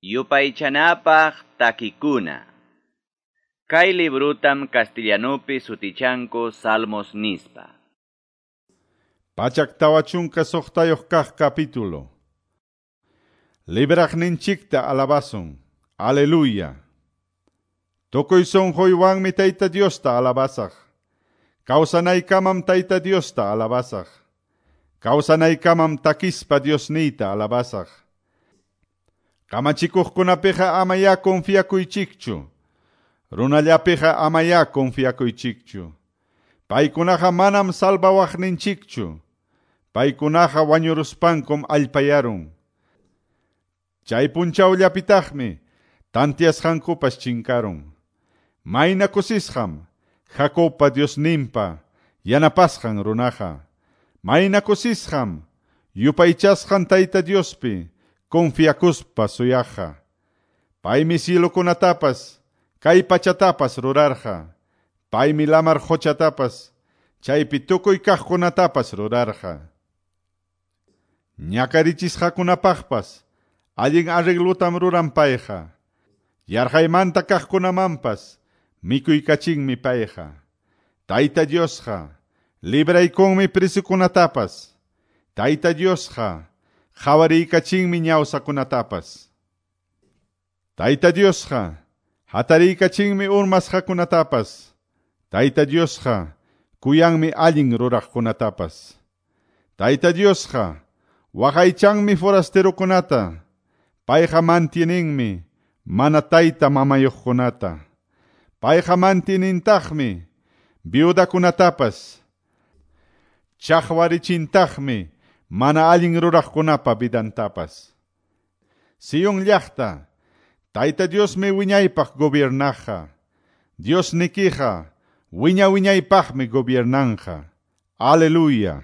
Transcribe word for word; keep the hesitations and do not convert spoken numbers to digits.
Yupaychanapaq takikuna. Kay librutam castellanupi sutichanku Salmos nispa. Pachak tawa chunka suqtayuq kaq capítulo. Libraqninchikta alabasun. Aleluya. Tukuy sunquywanmi Tayta Diosta alabasaq. Kawsanaykamam Tayta Diosta alabasaq. Kawsanaykamam takispa Diosniyta alabasaq. Kamachikuqkunapiqa amaya confiakuychikchu. Runallapiqa amaya confiakuychikchu. Paykunaqa manam salvawaqninchikchu. Paykunaqa wañuruspankum allpayarun. Chay punchawllapitaqmi tantiasqankupas chinkarun. Mayna kusisqam Jacobpa Diosninpa yanapasqan runaqa. Mayna kusisqam yupaychasqan Tayta Diospi confiakuspa suyaqqa. Paymi cielokunatapas kay pachatapas rurarqa. Paymi lamar qochatapas chaypi tukuy kaqkunatapas rurarqa. Ñakarichisqakunapaqpas allin arreglotam ruran payqa. Yarqaymanta kaqkunamanpas mikuykachinmi payqa. Tayta Diosqa libraykunmi prisukunatapas. Tayta Diosqa qhawariykachinmi ñawsakunatapas. Tayta Diosqa hatariykachinmi urmasqakunatapas. Tayta Diosqa kuyanmi allin ruraqkunatapas. Tayta Diosqa waqaychanmi forasterokunata. Payqa mantieninmi mana tayta mamayuqkunata. Payqa mantienintaqmi viudakunatapas. Chaqwarichintaqmi mana allin ruraqkunapa vidantapas. Sion llaqta, Tayta Diosmi wiñaypaq gobiernaqqa. Diosnikiqa wiña wiñaypaqmi gobiernanqa. Aleluya.